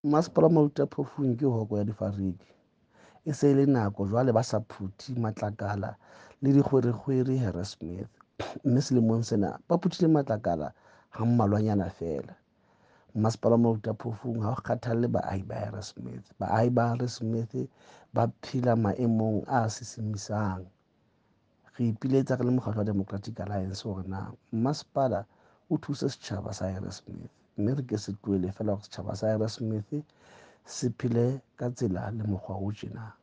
Mmasepala wa Maluti-a-Phofung ke hoko ya difariki. E se e le nako jwale ba sa phuthe matlakala le dikgwerekgwere Harrismith, mme selemong sena ba phuthile matlakala ha mmalwanyana feela. Mmasepala wa Maluti-a-Phofung ha o kgathalle baahi ba Harrismith. Baahi ba Harrismith ba phela maemong a sisimisang. Re ipiletsa re le mokgatlo wa Democratic Alliance hore na mmasepala o thuse setjhaba sa Harrismith, mme re ke se tlohele feela hore setjhaba sa Harrismith se phele ka tsela le mokgwa o tjena.